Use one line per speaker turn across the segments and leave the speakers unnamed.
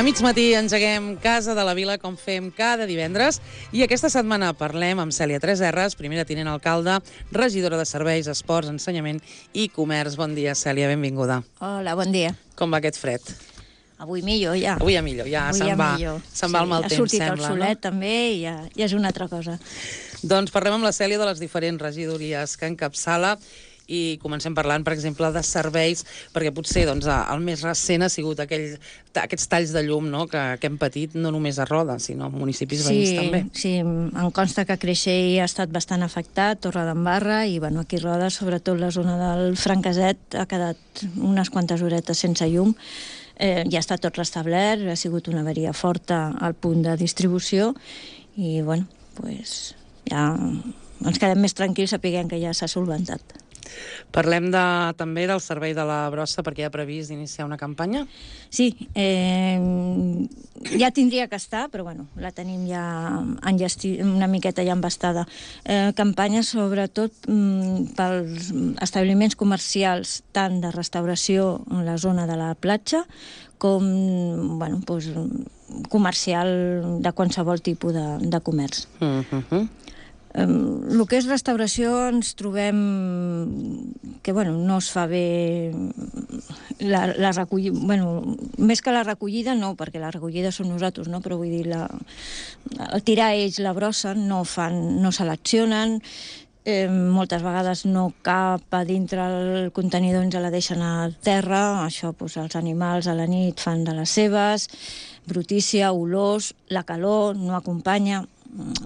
A mig matí engeguem Casa de la Vila com fem cada divendres i aquesta setmana parlem amb Cèlia 3Rs, primera tinent alcalde, regidora de Serveis, Esports, Ensenyament i Comerç. Bon dia, Cèlia, benvinguda.
Hola, bon dia.
Com va aquest fred?
Avui millor, ja.
Avui ja millor, ja se'n va el mal temps, sembla.
Ha sortit el solet, també, i ja és una altra cosa.
Doncs parlem amb la Cèlia de les diferents regidories que encapçala i comencem parlant, per exemple, de serveis, perquè potser el més recent ha sigut aquests talls de llum que hem patit, no només a Roda, sinó a municipis veïns també.
Sí, em consta que Creixell ha estat bastant afectat, Torredembarra, i aquí a Roda, sobretot la zona del Franqueset, ha quedat unes quantes horetes sense llum. Ja està tot restablert, ha sigut una avaria forta al punt de distribució, i ja ens quedem més tranquils sapiguem que ja s'ha solventat.
Parlem també del servei de la brossa, perquè hi ha previst iniciar una campanya?
Sí, ja tindria que estar, però la tenim ja una miqueta ja embastada. Campanya sobretot pels establiments comercials, tant de restauració en la zona de la platja, com comercial de qualsevol tipus de comerç. El que és restauració ens trobem que no es fa bé la recollida, més que la recollida no, perquè la recollida som nosaltres, però vull dir, el tirar ells la brossa no seleccionen, moltes vegades no cap a dintre el contenidor, ens la deixen a terra, això els animals a la nit fan de les seves, brutícia, olors, la calor no acompanya,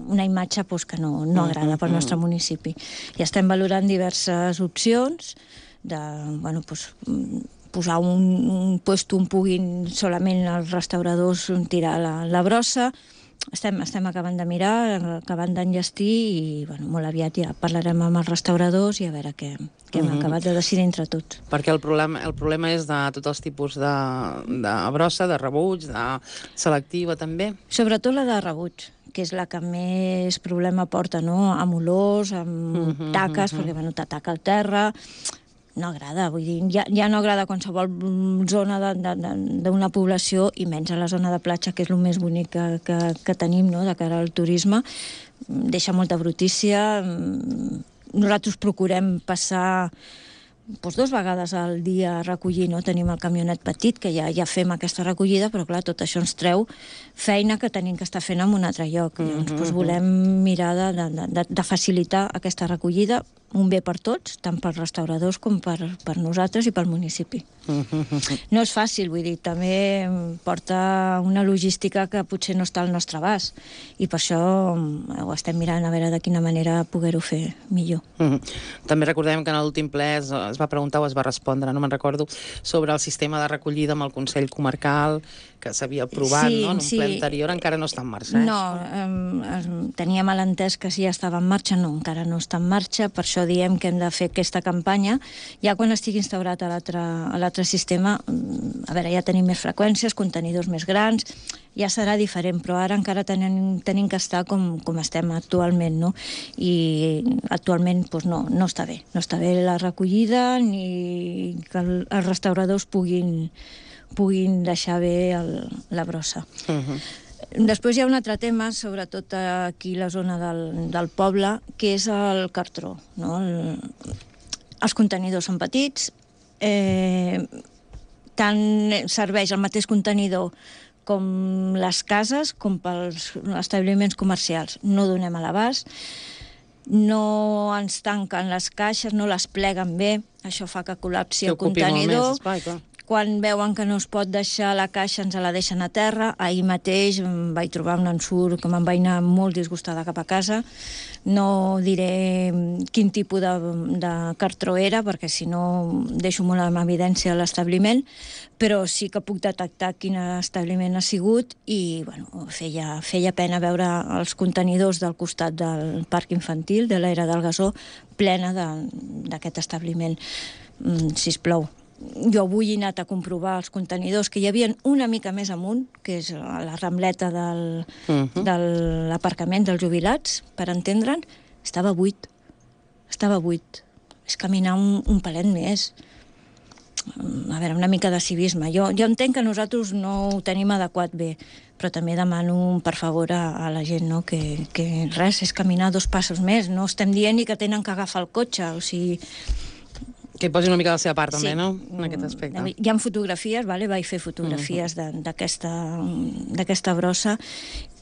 una imatge que no agrada pel nostre municipi. I estem valorant diverses opcions de posar un puesto on puguin solament els restauradors tirar la brossa. Estem acabant de mirar, acabant d'enllestir i molt aviat ja parlarem amb els restauradors i a veure què hem acabat de decidir entre tots.
Perquè el problema és de tots els tipus de brossa, de rebuig, de selectiva també?
Sobretot la de rebuig, que és la que més problema porta, amb olors, amb taques, perquè t'ataca al terra. No agrada, vull dir, ja no agrada a qualsevol zona d'una població, i menys a la zona de platja, que és el més bonic que tenim de cara al turisme. Deixa molta brutícia. Nosaltres procurem passar 2 vegades al dia a recollir, tenim el camionet petit, que ja fem aquesta recollida, però clar, tot això ens treu feina que tenim que estar fent en un altre lloc. Llavors volem mirar de facilitar aquesta recollida, un bé per tots, tant pels restauradors com per nosaltres i pel municipi. No és fàcil, vull dir, també porta una logística que potser no està al nostre abast, i per això ho estem mirant a veure de quina manera poder-ho fer millor.
També recordem que en l'últim ple es va preguntar o es va respondre, no me'n recordo, sobre el sistema de recollida amb el Consell Comarcal, que s'havia aprovat en un ple anterior, encara no està en marxa.
No, teníem l'entès que sí estava en marxa, no, encara no està en marxa, per això diem que hem de fer aquesta campanya. Ja quan estigui instaurat a l'altre sistema, a veure, ja tenim més freqüències, contenidors més grans, ja serà diferent, però ara encara tenim que estar com estem actualment, no? I actualment no està bé. No està bé la recollida ni que els restauradors puguin deixar bé la brossa. Després hi ha un altre tema, sobretot aquí a la zona del poble, que és el cartró. Els contenidors són petits, tant serveix el mateix contenidor com les cases, com pels establiments comercials. No donem a l'abast, no ens tanquen les caixes, no les pleguen bé, això fa que col·lapsi el contenidor. Quan veuen que no es pot deixar la caixa, ens la deixen a terra. Ahir mateix em vaig trobar un ensurt que me'n vaig anar molt disgustada cap a casa. No diré quin tipus de cartró era, perquè si no deixo molt en evidència l'establiment, però sí que puc detectar quin establiment ha sigut i feia pena veure els contenidors del costat del parc infantil, de l'era del Gasó, plena d'aquest establiment. Sisplau, jo avui he anat a comprovar els contenidors que hi havia una mica més amunt, que és a la rambleta de l'aparcament dels jubilats, per entendre'n, estava buit. És caminar un palet més. a veure, una mica de civisme. Jo entenc que nosaltres no ho tenim adequat bé, però també demano per favor a la gent, no? Que res, és caminar 2 passos més. No estem dient ni que tenen que agafar el cotxe, o sigui...
Que hi posi una mica de la seva part, també, no?, en aquest aspecte.
Hi ha fotografies, vaig fer fotografies d'aquesta brossa.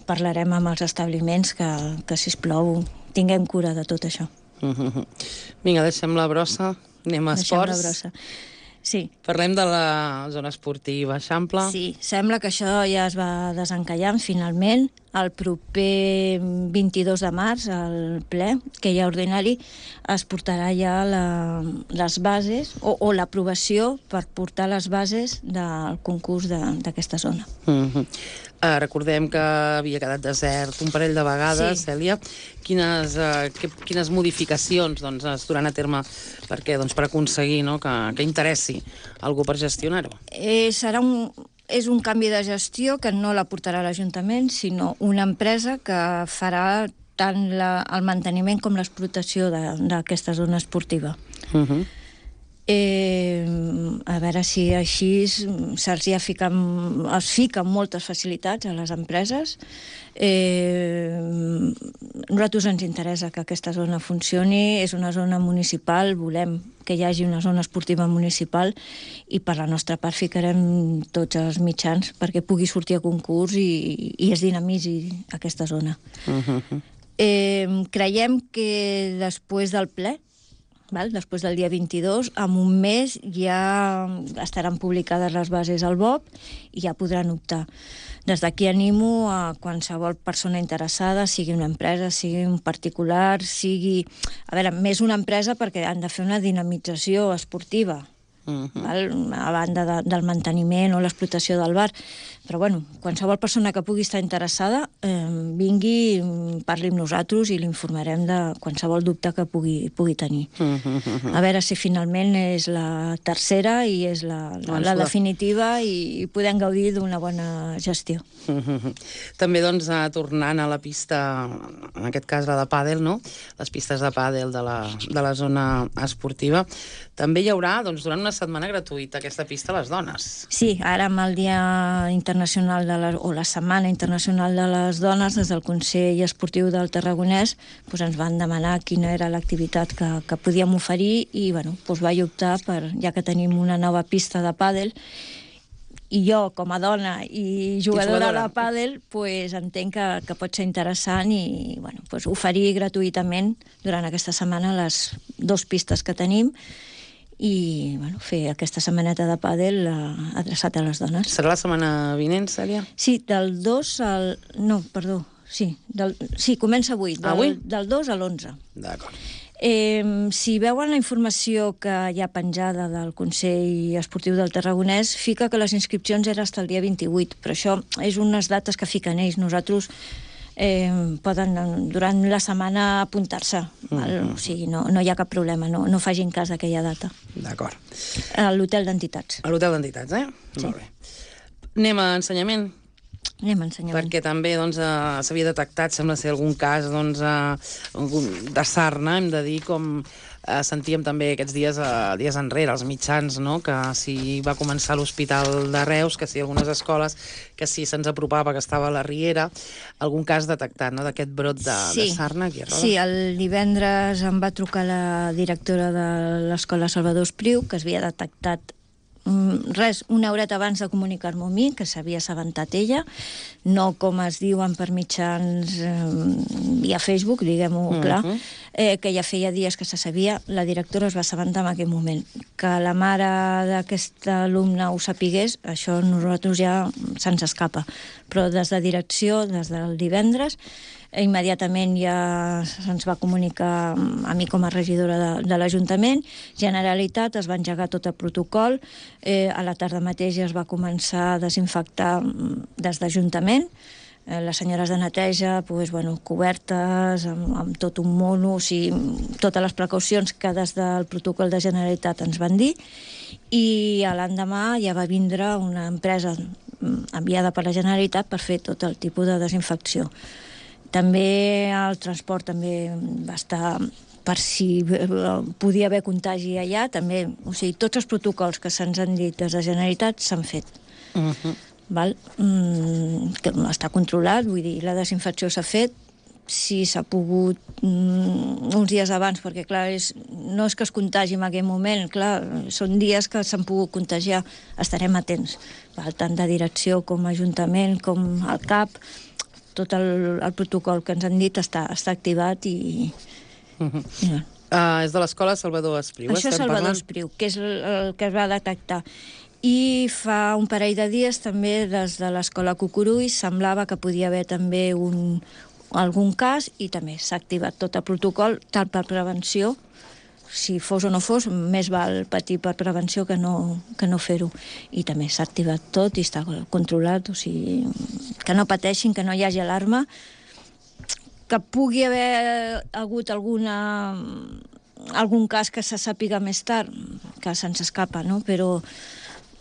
Parlarem amb els establiments que sisplau, tinguem cura de tot això.
Vinga, deixem la brossa, anem a esports.
Deixem la brossa. Sí.
Parlem de la zona esportiva, Eixample.
Sí, sembla que això ja es va desencallant finalment. El proper 22 de març, al ple, que hi ha ordinari, es portarà ja les bases o l'aprovació per portar les bases del concurs d'aquesta zona.
Recordem que havia quedat desert un parell de vegades,
Sí.
Cèlia. Quines modificacions es duran a terme per aconseguir que interessi algú per gestionar-ho?
És un canvi de gestió que no la portarà l'Ajuntament, sinó una empresa que farà tant el manteniment com l'explotació d'aquesta zona esportiva. A veure si així se'ls es fiquen moltes facilitats a les empreses. Nosaltres ens interessa que aquesta zona funcioni, és una zona municipal, volem que hi hagi una zona esportiva municipal i per la nostra part ficarem tots els mitjans perquè pugui sortir a concurs i es dinamitzi aquesta zona. Creiem que després del ple, després del dia 22, en un mes ja estaran publicades les bases al BOP i ja podran optar. Des d'aquí animo a qualsevol persona interessada, sigui una empresa, sigui un particular, sigui... A veure, més una empresa perquè han de fer una dinamització esportiva, a banda del manteniment o l'explotació del bar. Però, bueno, qualsevol persona que pugui estar interessada, vingui, parli amb nosaltres i l'informarem de qualsevol dubte que pugui tenir. A veure si finalment és la tercera i és la definitiva i podem gaudir d'una bona gestió.
També, tornant a la pista, en aquest cas la de pàdel, no? Les pistes de pàdel de la zona esportiva, també hi haurà, durant una setmana gratuïta, aquesta pista a les dones.
Sí, ara amb el Dia Internacional o la Setmana Internacional de les Dones, des del Consell Esportiu del Tarragonès, ens van demanar quina era l'activitat que podíem oferir i vaig optar per, ja que tenim una nova pista de pàdel, i jo, com a dona i jugadora de pàdel, entenc que pot ser interessant i oferir gratuïtament durant aquesta setmana les 2 pistes que tenim i fer aquesta setmaneta de pàdel adreçat a les dones.
Serà la setmana vinent, Cèlia?
Sí, del 2 al... No, perdó. Sí, comença avui. Del 2 a l'11.
D'acord.
Si veuen la informació que hi ha penjada del Consell Esportiu del Tarragonès, fica que les inscripcions eren fins al dia 28, però això és unes dates que fiquen ells. Nosaltres poden durant la setmana apuntar-se, o sigui, no hi ha cap problema, no facin cas d'aquella data.
D'acord.
A l'hotel d'entitats.
A l'hotel d'entitats,
Sí.
Molt bé. Anem a ensenyament. Perquè també s'havia detectat, sembla ser, algun cas de sarna, hem de dir, com sentíem també aquests dies enrere, els mitjans, que si va començar l'Hospital de Reus, que si algunes escoles, que si se'ns apropava, que estava a la Riera, algun cas detectat, d'aquest brot de sarna aquí a Roda.
Sí, el divendres em va trucar la directora de l'Escola Salvador Espriu, que es havia detectat una horeta abans de comunicar-m'ho a mi, que s'havia assabentat ella, no com es diuen per mitjans via Facebook, diguem-ho clar, que ja feia dies que se sabia, la directora es va assabentar en aquell moment. Que la mare d'aquest alumne ho sapigués, això a nosaltres ja se'ns escapa. Però des de direcció, des del divendres, immediatament ja se'ns va comunicar a mi com a regidora de l'Ajuntament. Generalitat, es va engegar tot el protocol. A la tarda mateix ja es va començar a desinfectar des d'Ajuntament. Les senyores de neteja, cobertes, amb tot un mono, o sigui, totes les precaucions que des del protocol de Generalitat ens van dir. I l'endemà ja va vindre una empresa enviada per la Generalitat per fer tot el tipus de desinfecció. També el transport també va estar per si podia haver contagi allà, també. O sigui, tots els protocols que se'ns han dit des de Generalitat s'han fet. Val? Que està controlat, vull dir, la desinfecció s'ha fet, si s'ha pogut uns dies abans, perquè clar, no és que es contagi en aquell moment, clar, són dies que s'han pogut contagiar, estarem atents, val? Tant de direcció com ajuntament, com el CAP, tot el protocol que ens han dit està activat i...
És de l'escola Salvador Espriu.
Això és Salvador Espriu, que és el que es va detectar. I fa un parell de dies també des de l'escola Cucurull semblava que podia haver també algun cas i també s'ha activat tot el protocol, tant per prevenció, si fos o no fos, més val patir per prevenció que no fer-ho. I també s'ha activat tot i està controlat, o sigui, que no pateixin, que no hi hagi alarma, que pugui haver hagut algun cas que se sàpiga més tard, que se'ns escapa, no? Però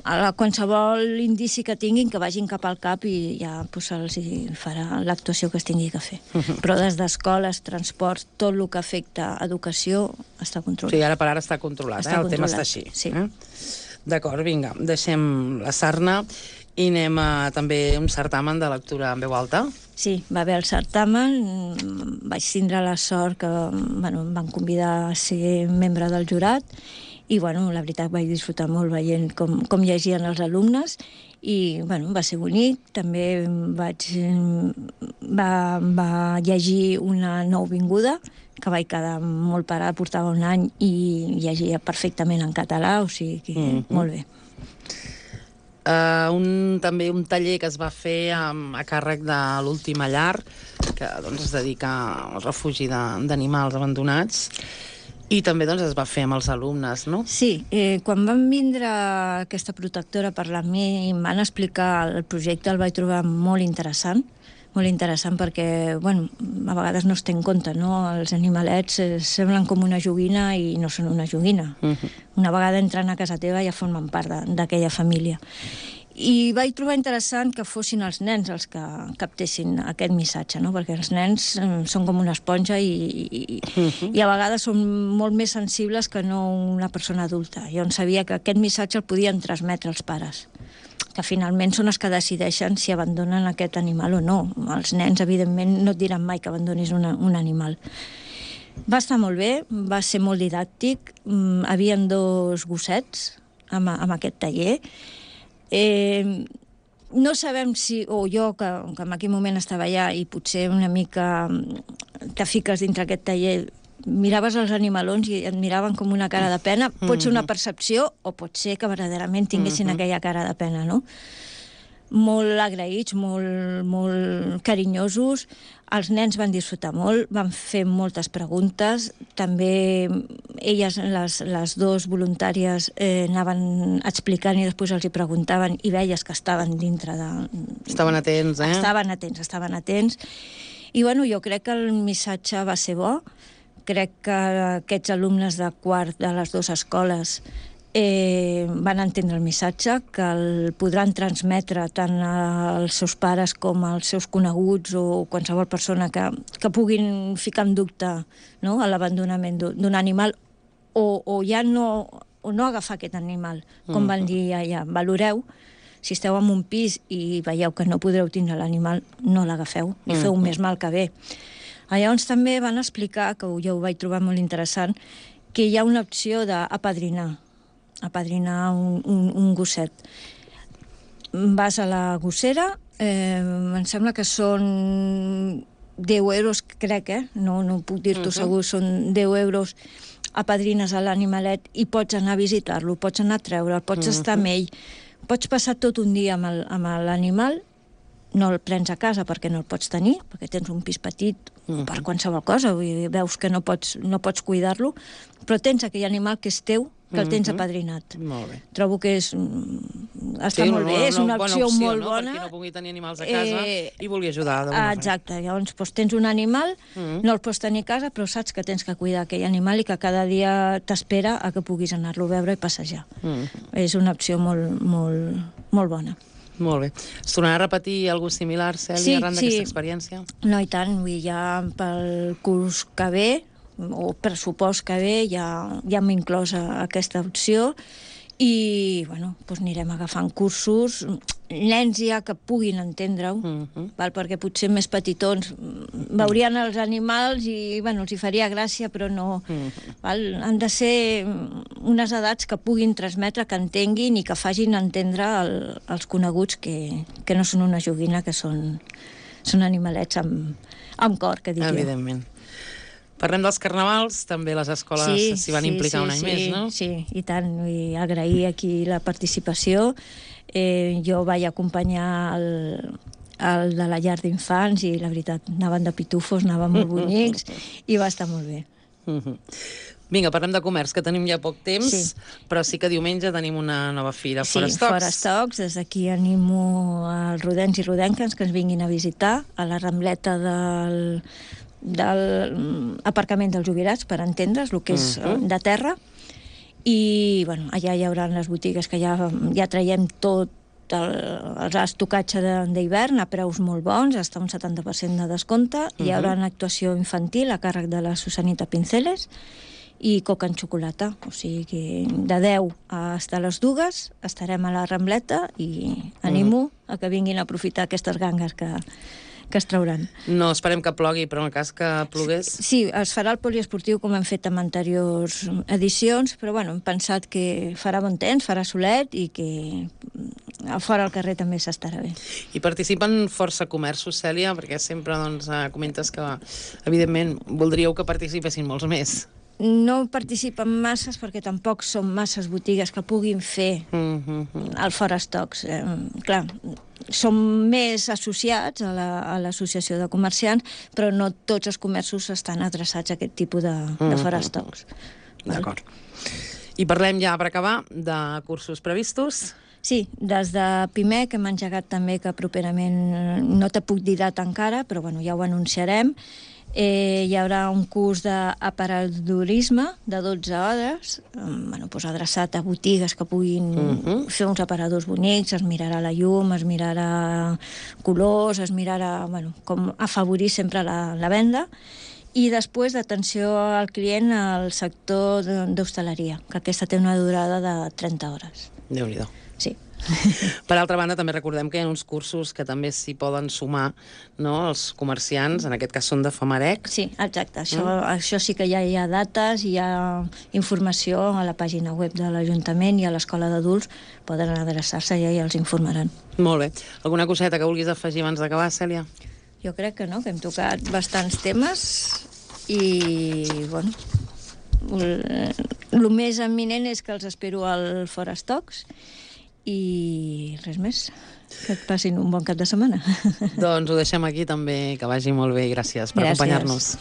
a qualsevol indici que tinguin, que vagin cap al CAP i ja se'ls farà l'actuació que es tingui que fer. Però des d'escoles, transports, tot el que afecta educació està controlat.
Sí, ara per ara està controlat, el tema està així.
Sí.
D'acord, vinga, deixem la sarna i anem a també un certamen de lectura en veu alta.
Sí, va haver el certamen, vaig tindre la sort que em van convidar a ser membre del jurat i, la veritat, vaig disfrutar molt veient com llegien els alumnes i, va ser bonic. També va llegir una nouvinguda, que vaig quedar molt parada, portava un any i llegia perfectament en català, o sigui que molt bé.
També un taller que es va fer a càrrec de l'Última Llar, que es dedica al refugi d'animals abandonats, i també es va fer amb els alumnes, no?
Sí, quan van vindre aquesta protectora a parlar amb mi i em van explicar el projecte, el vaig trobar molt interessant perquè, a vegades no es té en compte, no? Els animalets semblen com una joguina i no són una joguina. Una vegada entren a casa teva ja formen part d'aquella família. I vaig trobar interessant que fossin els nens els que captessin aquest missatge, no? Perquè els nens són com una esponja i a vegades són molt més sensibles que no una persona adulta. Jo sabia que aquest missatge el podien transmetre els pares, que finalment són els que decideixen si abandonen aquest animal o no. Els nens, evidentment, no et diran mai que abandonis un animal. Va estar molt bé, va ser molt didàctic, havien 2 gossets amb aquest taller. No sabem si, o jo, que en aquell moment estava allà i potser una mica te fiques dintre aquest taller, miraves els animalons i et miraven com una cara de pena. Pot ser una percepció o pot ser que verdaderament tinguessin aquella cara de pena, no? Molt agraïts, molt carinyosos. Els nens van disfrutar molt, van fer moltes preguntes. També elles, les 2 voluntàries, anaven explicant i després els hi preguntaven i veies que estaven dintre de...
Estaven atents, eh?
Estaven atents. I jo crec que el missatge va ser bo. Crec que aquests alumnes de quart de les 2 escoles van entendre el missatge, que el podran transmetre tant als seus pares com als seus coneguts o qualsevol persona que puguin ficar en dubte, no?, l'abandonament d'un animal o ja no agafar aquest animal, com van dir allà. Valoreu, si esteu en un pis i veieu que no podreu tindre l'animal, no l'agafeu, i feu més mal que bé. Llavors també van explicar, que jo ho vaig trobar molt interessant, que hi ha una opció d'apadrinar un gosset. Vas a la gossera, em sembla que són 10 euros, crec, no puc dir-t'ho segur, són 10 euros, apadrines a l'animalet i pots anar a visitar-lo, pots anar a treure'l, pots estar amb ell, pots passar tot un dia amb l'animal. No el prens a casa perquè no el pots tenir, perquè tens un pis petit per qualsevol cosa, veus que no pots cuidar-lo, però tens aquell animal que és teu, que el tens apadrinat.
Molt bé.
Trobo que està molt bé, és una opció molt bona.
Per qui no pugui tenir animals a casa i vulgui ajudar d'alguna manera.
Exacte, llavors tens un animal, no el pots tenir a casa, però saps que tens que cuidar aquell animal i que cada dia t'espera a que puguis anar-lo a veure i passejar. És una opció molt bona.
Molt bé. Es tornarà a repetir alguna cosa similar, Cèlia, arran d'aquesta experiència?
No, i tant. Ja pel curs que ve o pressupost que ve ja hem inclòs aquesta opció i bueno, doncs anirem agafant cursos, nens ja que puguin entendre-ho, perquè potser més petitons veurien els animals i bueno, els hi faria gràcia, però no. Han de ser unes edats que puguin transmetre, que entenguin i que facin entendre als coneguts que no són una joguina, que són animalets amb cor, que dic jo.
Evidentment. Parlem dels carnavals, també les escoles s'hi van implicar un any més, no?
Sí, i tant, i agrair aquí la participació. Jo vaig acompanyar el de la llar d'infants i la veritat, anaven de pitufos, anaven molt bonics i va estar molt bé.
Vinga, parlem de comerç, que tenim ja poc temps, però sí que diumenge tenim una nova fira, Fora Stocks.
Sí, Fora Stocks. Des d'aquí animo als rodencs i rodenques que ens vinguin a visitar a la rambleta del aparcament dels jubilats, per entendre's, el que és de terra. I bueno, allà hi haurà les botigues que ja traiem tot el estocatge d'hivern a preus molt bons, hasta un 70% de descompte. Hi haurà una actuació infantil a càrrec de la Susanita Pinceles i coca en xocolata, o sigui que de 10 fins a les 2 estarem a la rambleta i animo a que vinguin a aprofitar aquestes gangues que es trauran.
No esperem que plogui, però en el cas que plogués...
Sí, es farà el poliesportiu com hem fet en anteriors edicions, però bueno, hem pensat que farà bon temps, farà solet i que fora al carrer també s'estarà bé.
I participen força comerços, Cèlia, perquè sempre comentes que, evidentment, voldríeu que participessin molts més.
No participen masses perquè tampoc són masses botigues que puguin fer el Fora Stocks. Clar, som més associats a l'associació de comerciants, però no tots els comerços estan adreçats a aquest tipus de Fora Stocks.
D'acord. I parlem ja, per acabar, de cursos previstos.
Sí, des de PIMEC hem engegat també, que properament no te puc dir data encara, però bueno, ja ho anunciarem. Hi haurà un curs d'aparadourisme de 12 hores, adreçat a botigues que puguin fer uns aparadors bonics, es mirarà la llum, es mirarà colors, es mirarà com afavorir sempre la venda. I després d'atenció al client al sector d'hostaleria, que aquesta té una durada de 30 hores.
Déu-n'hi-do.
Sí.
Per altra banda, també recordem que hi ha uns cursos que també s'hi poden sumar, no?, els comerciants, en aquest cas són de Famarec.
Sí, exacte. Això sí que ja hi ha dates, hi ha informació a la pàgina web de l'Ajuntament i a l'Escola d'Adults, poden adreçar-se i ja els informaran.
Molt bé. Alguna coseta que vulguis afegir abans d'acabar, Cèlia?
Jo crec que no, que hem tocat bastants temes i, bueno, el més eminent és que els espero al Fora Stocks i res més. Que et passin un bon cap de setmana.
Doncs ho deixem aquí també, que vagi molt bé i gràcies per acompanyar-nos.